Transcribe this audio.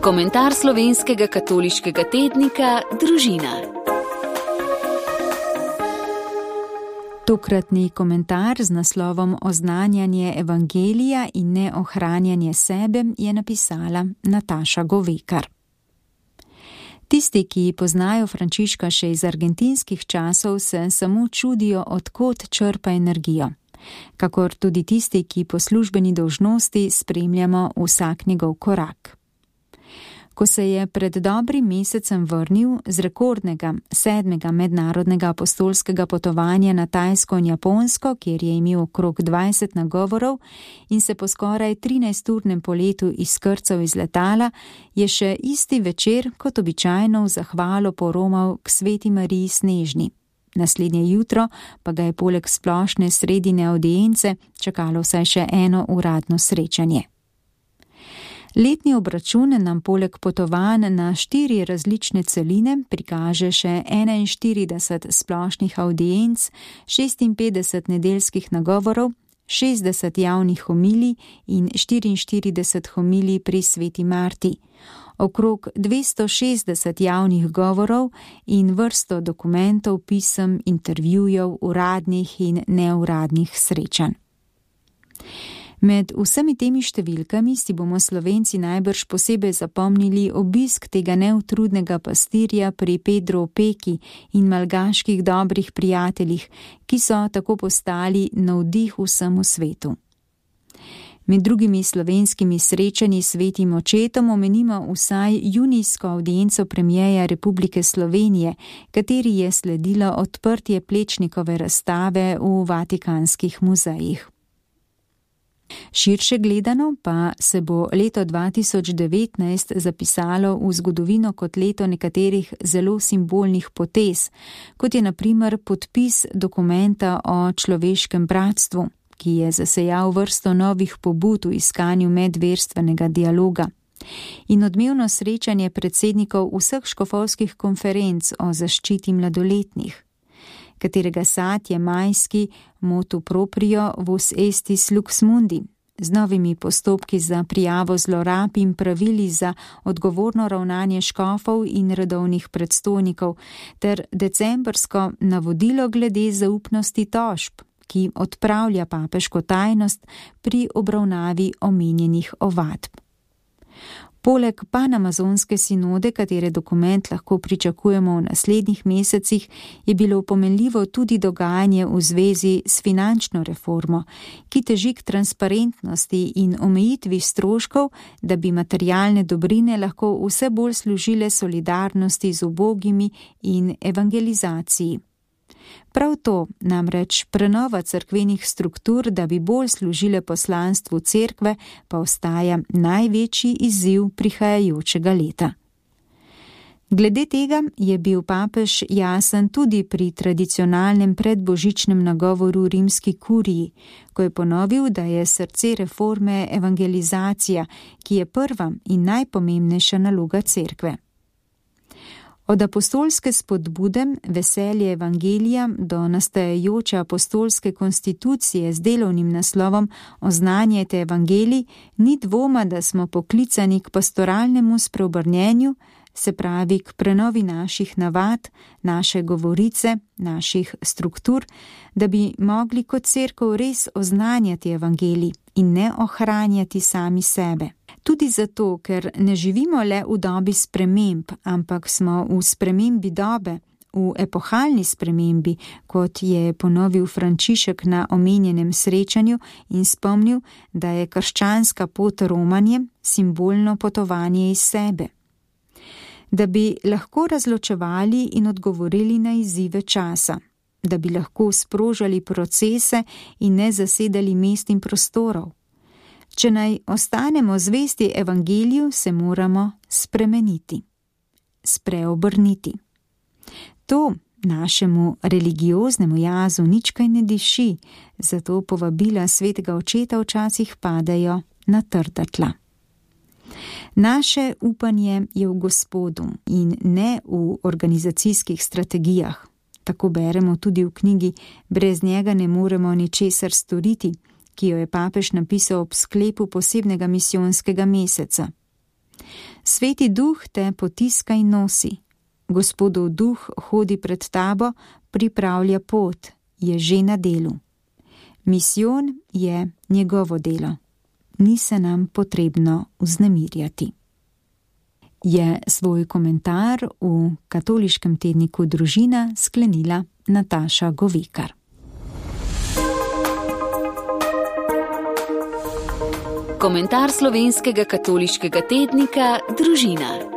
Komentar slovenskega katoliškega tednika Družina. Tokratni komentar z naslovom Oznanjanje evangelija in ne ohranjanje sebe je napisala Nataša Govekar. Tisti, ki poznajo Frančiška še iz argentinskih časov, se samo čudijo, od kod črpa energijo. Kakor tudi tisti, ki po službeni dolžnosti spremljamo vsak njegov korak. Ko se je pred dobrim mesecem vrnil z rekordnega 7. mednarodnega apostolskega potovanja na Tajsko in Japonsko, kjer je imel okrog 20 nagovorov in se po skoraj 13-urnem poletu izkrcal iz letala, je še isti večer kot običajno v zahvalo poromal k Sveti Mariji Snežni. Naslednje jutro pa ga je poleg splošne sredine avdience čakalo vsaj še eno uradno srečanje. Letni obračun nam poleg potovanj na 4 različne celine prikaže še 41 splošnih avdienc, 56 nedeljskih nagovorov, 60 javnih homilij in 44 homilij pri Sveti Marti, okrog 260 javnih govorov in vrsto dokumentov, pisem, intervjujev, uradnih in neuradnih srečanj. Med vsemi temi številkami si bomo Slovenci najbrž posebej zapomnili obisk tega neutrudnega pastirja pri Pedro Opeki in malgaških dobrih prijateljih, ki so tako postali navdih vsemu svetu. Med drugimi slovenskimi srečanji s Svetim očetom omenimo vsaj junijsko avdienco premierja Republike Slovenije, kateri je sledilo odprtje Plečnikove razstave v vatikanskih muzejih. Širše gledano pa se bo leto 2019 zapisalo v zgodovino kot leto nekaterih zelo simbolnih potez, kot je na primer podpis dokumenta o človeškem bratstvu, ki je zasejal vrsto novih pobud v iskanju medverstvenega dialoga, in odmevno srečanje predsednikov vseh škofovskih konferenc o zaščiti mladoletnih, katerega sad je majski motu proprio vos estis lux mundi, z novimi postopki za prijavo zlorab in pravili za odgovorno ravnanje škofov in redovnih predstojnikov, ter decembrsko navodilo glede zaupnosti tožb, ki odpravlja papeško tajnost pri obravnavi omenjenih ovadb. Poleg panamazonske sinode, katere dokument lahko pričakujemo v naslednjih mesecih, je bilo pomenljivo tudi dogajanje v zvezi s finančno reformo, ki teži k transparentnosti in omejitvi stroškov, da bi materialne dobrine lahko vse bolj služile solidarnosti z ubogimi in evangelizaciji. Prav to, namreč prenova cerkvenih struktur, da bi bolj služile poslanstvu cerkve, pa ostaja največji izziv prihajajočega leta. Glede tega je bil papež jasen tudi pri tradicionalnem predbožičnem nagovoru rimski kuriji, ko je ponovil, da je srce reforme evangelizacija, ki je prva in najpomembnejša naloga cerkve. Od apostolske spodbude, veselje evangelija do nastajajoče apostolske konstitucije z delovnim naslovom Oznanjajte evangelij, ni dvoma, da smo poklicani k pastoralnemu spreobrnjenju, se pravi k prenovi naših navad, naše govorice, naših struktur, da bi mogli kot cerkev res oznanjati evangelij in ne ohranjati sami sebe. Tudi zato, ker ne živimo le v dobi sprememb, ampak smo v spremembi dobe, v epohalni spremembi, kot je ponovil Frančišek na omenjenem srečanju in spomnil, da je krščanska pot romanje simbolno potovanje iz sebe. Da bi lahko razločevali in odgovorili na izzive časa, da bi lahko sprožali procese in ne zasedali mest in prostorov. Če naj ostanemo zvesti evangeliju, se moramo spremeniti, spreobrniti. To našemu religioznemu jazu nič kaj ne diši, zato povabila Svetega očeta včasih padajo na trda tla. Naše upanje je v Gospodu in ne v organizacijskih strategijah. Tako beremo tudi v knjigi Brez njega ne moremo ničesar storiti, ki jo je papež napisal ob sklepu posebnega misijonskega meseca. Sveti duh te potiska in nosi. Gospodov duh hodi pred tabo, pripravlja pot, je že na delu. Misijon je njegovo delo. Ni se nam potrebno vznemirjati. Je svoj komentar v katoliškem tedniku Družina sklenila Nataša Govekar. Komentar slovenskega katoliškega tednika Družina.